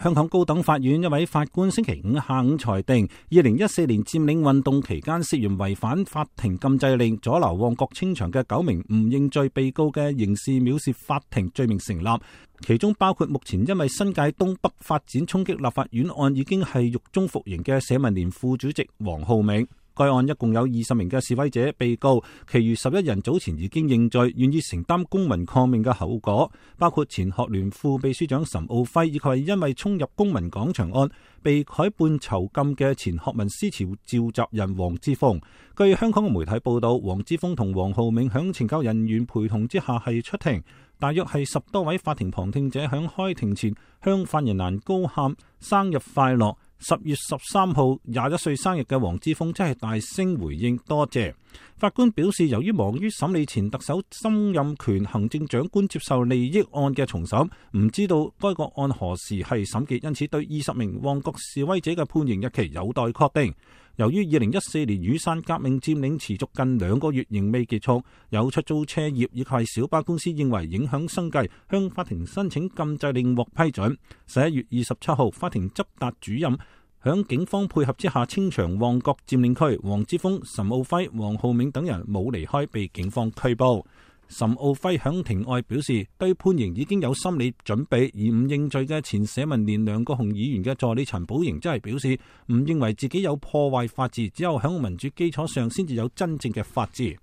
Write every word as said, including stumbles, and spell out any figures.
香港高等法院一位法官星期五下午裁定，二零一四年佔領運動期間涉嫌違反法庭禁制令，阻撓旺角清場嘅九名唔認罪被告嘅刑事藐視法庭罪名成立，其中包括目前因為新界東北發展衝擊立法院案已經係獄中服刑嘅社民連副主席黃浩銘。該案一共有二十名嘅示威者被告，其餘十一人早前已經認罪，願意承擔公民抗命嘅後果，包括前學聯副秘書長岑敖暉，以及係因為衝入公民廣場案被改判囚禁嘅前學民思潮召集人黃之鋒。據香港嘅媒體報道，黃之鋒同黃浩銘響懲教人員陪同之下係出庭，大約係十多位法庭旁聽者響開庭前向犯人欄高喊生日快樂。十月十三號廿一歲生日嘅黃之鋒真係大聲回應多謝。法官表示，由於忙於審理前特首曾蔭權行政長官接受利益案嘅重審，唔知道該個案何時係審結，因此對二十名旺角示威者嘅判刑日期有待確定。由於二零一四年雨傘革命佔領持續近兩個月仍未結束，有出租車業以及小巴公司認為影響生計，向法庭申請禁制令獲批准。十一月二十七號，法庭執達主任響警方配合之下清場旺角佔領區，黃之鋒、岑敖暉、黃浩銘等人冇離開，被警方拘捕。岑敖暉響庭外表示，對判刑已經有心理準備，而唔認罪嘅前社民連梁國雄議員嘅助理陳寶瑩則係表示，唔認為自己有破壞法治，只有響民主基礎上先至有真正嘅法治。